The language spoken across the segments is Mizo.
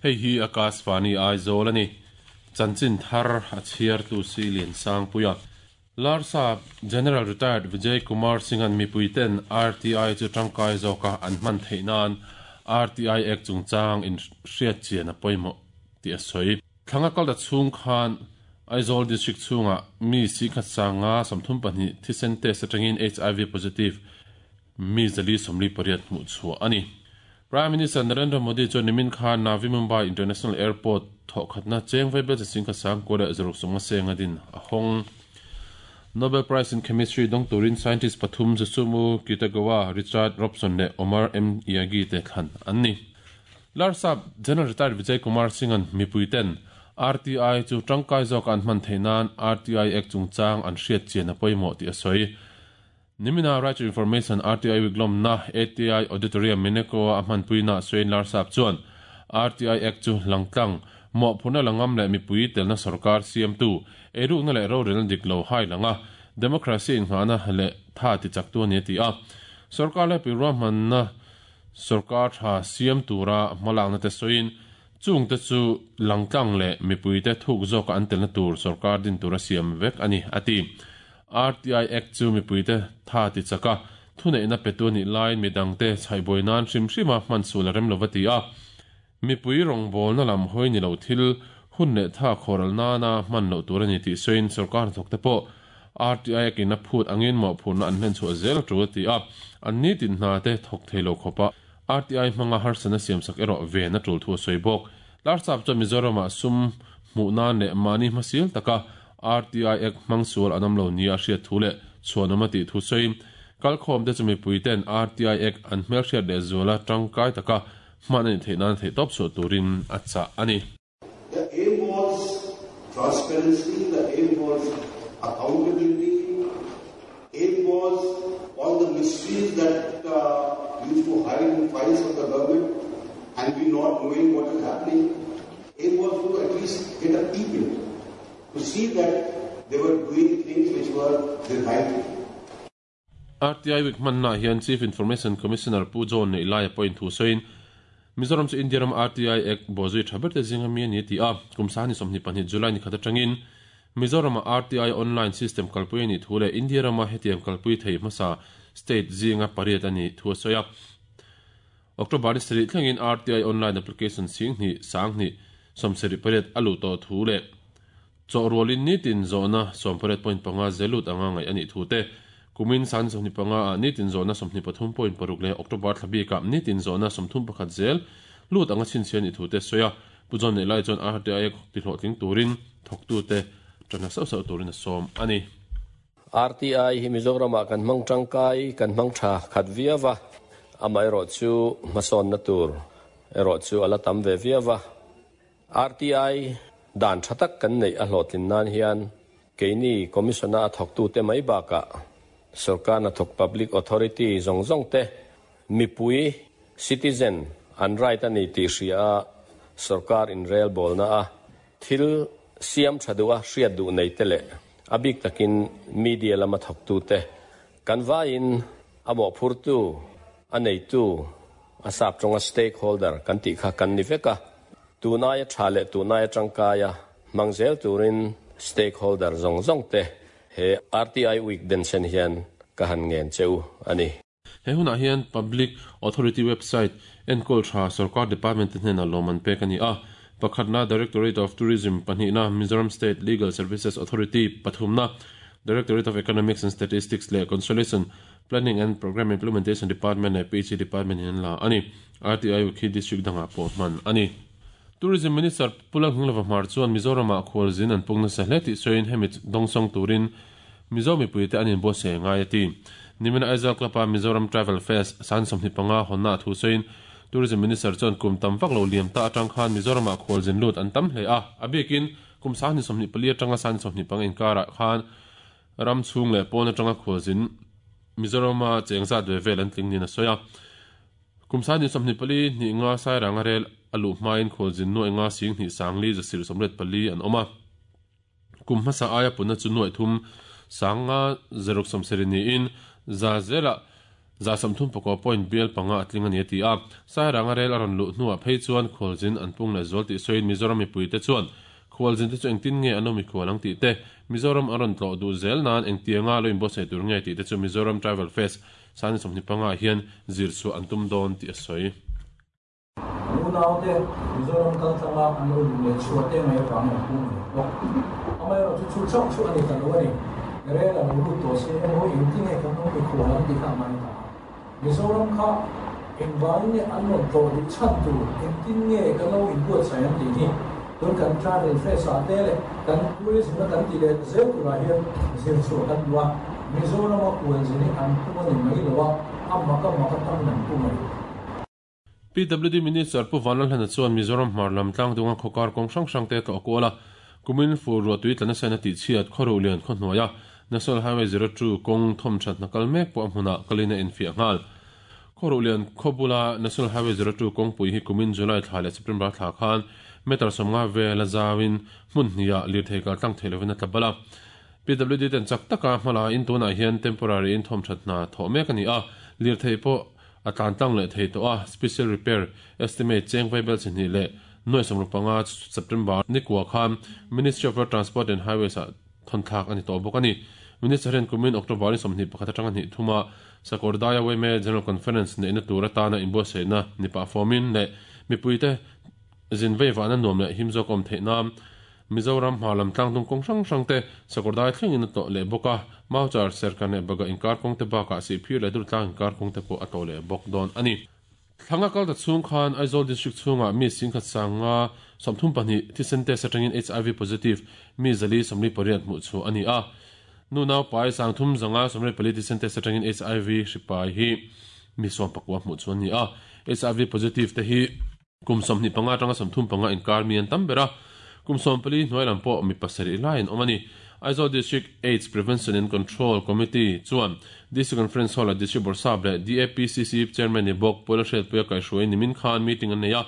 Hei hi Akashvani Aizawl a ni. Chanchin thar a chhiartu si Liansangpuia. Larsap General Retired Vijay Kumar Singh-a'n mipuiten RTI chu tangkai zawka an hman theih nan RTI Act chungchang inhriat chian a pawimawh tih a sawi. Thlanga kalta chhung khan Aizawl District chhungah mi sikhat sanga 32 thisen test atangin HIV positive mi 448 hmuh chhuah a ni. Prime Minister Narendra Modi chuan nimin khan Navi Mumbai International Airport thawhkhatna cheng vaibel chi 9,660 seng a din a hawng. Nobel Prize in Chemistry dawng turin scientist pathum Susumu Kitagawa, Richard Robson leh Omar M. Yaghi te thlan an ni. Larsap General Retired Vijay Kumar Singh-a'n mipuiten RTI chu tangkai zawk an hman theih nan RTI Act chungchang an hriat chian a pawimawh tih a sawi. Nimina Right to Information RTI Week lawmna ATI Auditorium Mineko a hmanpuina sawiin Larsap chuan RTI Act chu langtlang mawhphurhna langam leh mipui telna sarkar siamtu eirukna leh rorelna dik lo hai langa democracy inngahna leh tha ti chaktu ani a ti a. Sarkar leh piruahmanna sarkar tha siam tura hmalakna te sawiin chungte chu langtlang leh mipuite thuk zawka an telna tur sarkar din tura siam vek ani a ti. RTI Act chu mipuite tha ti chaka thuneihna petu ani lain midangte chhaihbuai nan hrim hrima hman sul a rem lova ti a. Mipui rawngbawlna lam hawi ni lo thil hun leh tha khawral nana hman loh tur ani tih sawiin sarkar hnathawk te pawh RTI Act in a phut angin mawhphurhna an hlen chhuah zel a tul a ti a. An ni tin hna te thawk thei lo khawpa RTI hmanga harsatna siamsak erawh ven a tul thu a sawi bawk. Larsap chuan Mizoramah sum hmuh nan leh mahni hmasil taka RTI Act hmang sual an awm lo nia a hriat thu leh chhuanawm a tih thu sawiin kalkhawm te chu mipui ten RTI Act an hmelhriat leh zuala tangkai taka hman ani theih nan theih tawp chhuah turin a chah ani. The aim was transparency, the aim was accountability, aim was all the mysteries that used to hide in files of the government and we not knowing what is happening. Aim was to at least get a peep in, to see that they were doing things which were the right thing. RTI Week hmanna hian Chief Information Commissioner Pu John nei lai a pawhin thu sawiin Mizoram chu India ram RTI Act bawhzui tha ber te zinga mi ani ti a, kum sahni 22 July ni khat atangin Mizoram ah RTI online system kalpui ani thu leh India rama hetiang kalpui thei hmasa state zinga pariat ani thu a sawi a. October ni sarih thlengin RTI online application 10 10 78 a luh tawh thu leh chawhrualin nitin zawhna 18.5 zelut anga ngai ani thu te kumin san 25 a nitin zawhna 23.6 leh October thlabika nitin zawhna 31 zel lut anga chinchhian ni thu te soya pujon nei lai chuan RTI ti hlawhtling turin thawktu te tana sau sau turin a sawm ani. RTI hi Mizoramah kan hmang tangkai kan hmang tha khat viawa ama erawh chu hmasawn na tur erawh chu ala tam ve viawa. RTI dan thatak kan nei a hlawhtlin nan hian keini commissioner a thawktu te mai baka sarkar na thawk public authority zawng zawng te mipui citizen an right ani ti hria sarkar in rel bol na a thil siam thadua hriat du nei te le abik takin media lama thawktu te kan vain amo phurtu anei tu asap tonga stakeholder kan ti kha kan ni veka tunaya thale tunaya tangkaya mangzel turin stakeholder zong zong te he RTI Week den sen hian ka han ngen cheu ani. He huna hian Public Authority website enkol tha sarkar department te hnena loman pek ani a. Pakhatna Directorate of Tourism pahnihna Mizoram State Legal Services Authority pathumna Directorate of Economics and Statistics leh Consolidation Planning and Program Implementation Department leh PHE Department in la ani. RTI Week hi district danga pawh hman ani. Tourism Minister Pu Lalnghinglova Hmar chuan Mizoramah khualzin an pungna sa hle tih sawiin hemi dawngsawng turin Mizo mipuite an inbuatsaih ngai a ti. Nimina Aizawl Club-a Mizoram Travel Fest san 25 hawnna a thu sawiin Tourism Minister chuan kum tam vak lo liam ta atang khan Mizoramah khualzin lut an tam hle a. A bikin kum sahni 24 atanga sahni 25 inkarah khan ram chhung leh pawn atanga khualzin Mizorama chengzat ve vel an tling nin a sawi a. Kum sahni 24 hnih nga sairanga rel a luh hmain khualzin nuai nga sing hnih sangli zasir 84 an awm a. Kum hmasa aia puna chu nuai thum sanga zeruk sawmsarih niin za zela 35 point bial panga a tling a ni a ti a. Sairanga rel a rawn luh hnuah phei chuan khualzin an pung leh zual tih sawiin Mizoram mipuite chuan khualzin te chu engtin nge an awm i khual ang tih te, Mizoram an rawn tlawh duh zel nan engtianga lo inbuatsaih tur nge tih te chu Mizoram Travel Fest Sani 25 ah hian zir chhuah an tum dawn tih a sawi. An unaute Mizoram kaltlanga an lo luh leh chhuah te mai avangin an pung ve bawk. Amaherawhchu chu chauh chu a ni ta lo a ni. Rel a lo lut tawh si emaw engtin nge kan awm mikhual ang tih kha a ngai ta a. Mizoram kha engvangin nge an rawn tlawh duh chhan tur engtin nge kan lo inbuatsaih ang tih hi tun kan travel fest ah te leh kan tourism a kan tih leh zel turah hian zir chhuah kan duh a. Mizorama kualzin hi an pung a ni mai lo a, a mak a mak atangin an pung a ni. PWD Minister Pu Vanlalhlana chuan Mizoram hmar lam tlangdunga khawkar kawng hrang hrang te tlawh kual a, kumin fur ruahtui tla nasa in a tihchhiat khawruh lian khaw hnuaia National Highway 02 kawng thawmthat hna kal mek pawh a hmunah kalin a infiah nghal. Khawruh lian khaw bula National Highway 02 kawngpui hi kumin July thla leh September thla khan meter 50 vel a zauin hmun hniah lirthei kal tlang thei lovin a tla bal a. PWD ten chak taka hmala in tunah hian temporary in thawmthat hna thawh mek a ni a, lirthei pawh a tlan tlang leh thei tawh a, special repair estimate cheng vaibel chi hnih leh nuai sawmruk panga September nikua khan Ministry of Road Transport and Highways ah thawn thlak a ni tawh bawk a ni. Minister hian kumin October ni 21 atanga hnih thuma Sakawrdai-a Weme General Conference neihna tur atana inbuatsaihna ni pah fawmin leh mipuite zin veivahna nuam leh him zawk awm theih nan Mizoram hma lam tlangdung kawng hrang hrang te Sakawrdai thlengin a tlawh leh bawk a, Mauchar, Serkan leh Baga inkar kawng te bakah Sihphir leh Durtlang inkar kawng te pawh a tlawh leh bawk dawn a ni. Thlanga kal ta chhung khan Aizawl District chhungah mi singkhat sanga 32 thisen test atangin HIV positive mi 448 hmuh chhuah a ni a. Nu naupai 3124 thisen test atangin HIV hri pai hi mi 19 hmuh chhuah a ni a. HIV positive te hi Kum 25 atanga 35 inkar mi an tam ber a, kum 14 hnuai lam pawh mi pasarih lai an awm a ni. Aizawl District Aids Prevention and Control Committee chuan District Conference Hall-ah District Bawrhsap leh DAPCC Chairman ni bawk Puala Hriatpuia kaihhruai nimin khan meeting an nei a.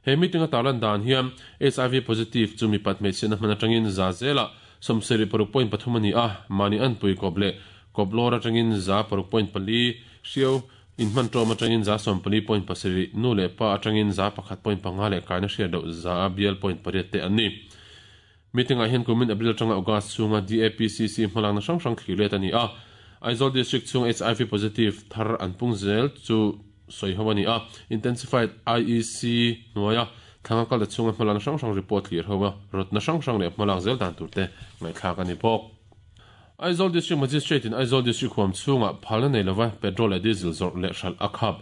He meeting a tarlan dan hian HIV positive chu mipat hmeichhiatna hman atangin za zelah 76.3 a ni a, mahni anpui kawp leh kawp lawr atangin za 6.4 hriau Inhman ṭawm aṭangin 14 point pasarih, nu leh pa aṭangin 1 point panga leh kaina hriat loh za bial point pariat te an ni. Meeting-ah hian kumin April aṭanga August chhunga DAPCC hmalakna hrang hrang thlir let a ni a. Aizawl District chhung HIV positive thar an pung zel chu sawi ho a ni a. Intensified IEC hnuaia thlanga kalta chhunga hmalakna hrang hrang report thlir ho a, rawtna hrang hrang leh hmalak zel dan turte ngaihthlak a ni bawk. Aizawl District Magistrate in Aizawl District huam chhungah phalna nei lova petrol leh diesel zawrh leh hralh a khap.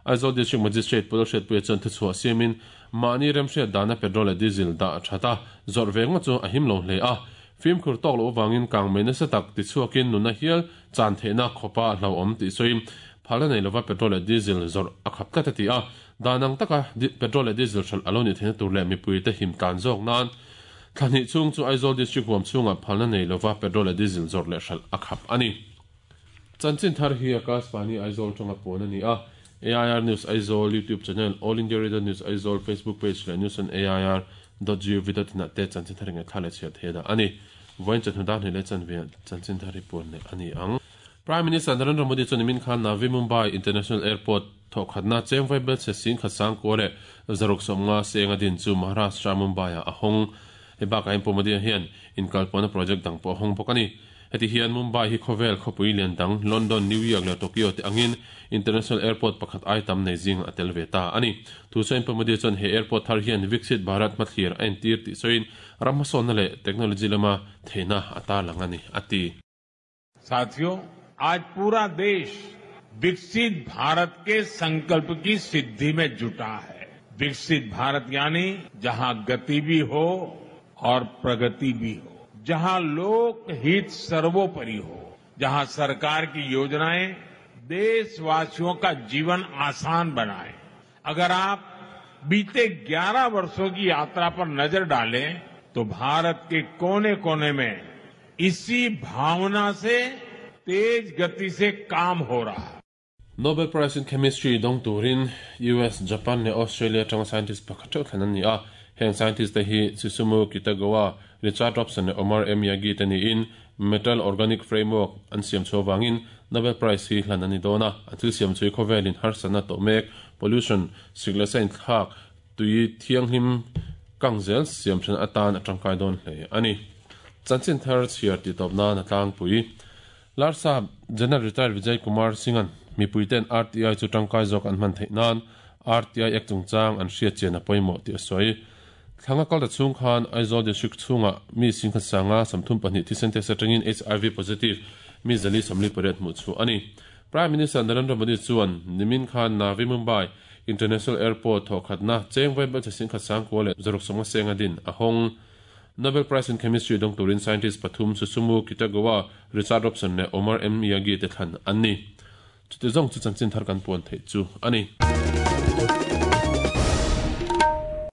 Aizawl District Magistrate Pu Lalhriatpuia chuan thuchhuah siamin mahni remhriat dana petrol leh diesel dah that a, zawrh ve ngawt chu a him lo hle a. Fimkhur tawk loh avangin kang mai nasa tak tichhuakin nunna hial chan theihna khawpa hlauhawm tih sawiin phalna nei lova petrol leh diesel zawrh a khap tlat a ti a. Dan ang taka petrol leh diesel hralh a lo nih theihna tur leh mipuite him tlan zawk nan Thla hnih chhung chu Aizawl District huam chhungah phalna nei lova petrol leh diesel zawrh leh hralh a khap a ni. Chanchin thar hi Akashvani Aizawl tanga puan a ni a, AIR News Aizawl YouTube channel, All India Radio News Aizawl Facebook page leh News on AIR dot gov dot in ah te chanchin thar ingaihthla leh chhiar thei a dah a ni. Vawiin chawhnu dar hnih leh chanve ah chanchin thar hi puan leh a ni ang. Prime Minister Narendra Modi chuan nimin khan Navi Mumbai International Airport thawhkhatna chengvai belchhe singkhat sangkua leh zaruk sawmnga seng a din chu Maharashtra Mumbai-ah a hawng. Hei bakah hian Pu Modi-a hian inkalpawhna project dang pawh a hawng bawk a ni. Heti hian Mumbai hi khawvel khawpui lian dang London, New York leh Tokyo te angin International Airport pakhat ai tam nei zingah a tel ve ta a ni. Thu sawiin Pu Modi chuan he airport thar hian Viksit Bharat hmathlir a entir tih sawiin ram hmasawnna leh technology lama theihna a tarlang a ni, a ti. साथियों आज पूरा देश विकसित भारत के संकल्प की सिद्धि में जुटा है विकसित भारत यानी जहां गति भी हो और प्रगति भी हो जहां लोक हित सर्वोपरि हो जहां सरकार की योजनाएं देशवासियों का जीवन आसान बनाए अगर आप बीते 11 वर्षों की यात्रा पर नजर डालें तो भारत के कोने कोने में इसी भावना से तेज गति से काम हो रहा है Nobel Prize in Chemistry dawng turin US, Japan leh Australia atanga scientist pakhat theuh thlen an ni a. Heng scientist te hi Susumu Kitagawa, Richard Robson leh Omar M. Yagi te niin Metal Organic Framework an siam chhuah vangin Nobel Prize hi hlan a ni dawn a, an thil siam chu hi khawvelin harsatna tawh mek, pollution, sik leh sa inthlak, tui thianghlim kang zel siam then atan a tangkai dawn hle a ni. Chanchin thar chhiar tih tawp nan a tlangpui. Larsap General Retired Vijay Kumar Singh-a'n mipuite'n RTI chu tangkai zawk an hman theih nan RTI Act chungchang an hriat chian a pawimawh tih a sawi. Thlanga kal ta chhung khan Aizawl District chhungah mi singkhat sanga 32 thisen test atangin HIV positive mi 448 hmuh chhuah a ni. Prime Minister Narendra Modi chuan nimin khan Navi Mumbai International Airport thawhkhatna cheng vaibelchhe singkhat 9160 senga din a hawng. Nobel Prize in Chemistry dawng turin scientist pathum Susumu Kitagawa, Richard Robson leh Omar M. Yagi te thlan an ni. Chuti zawng chu chanchin thar kan puan theih chu a ni.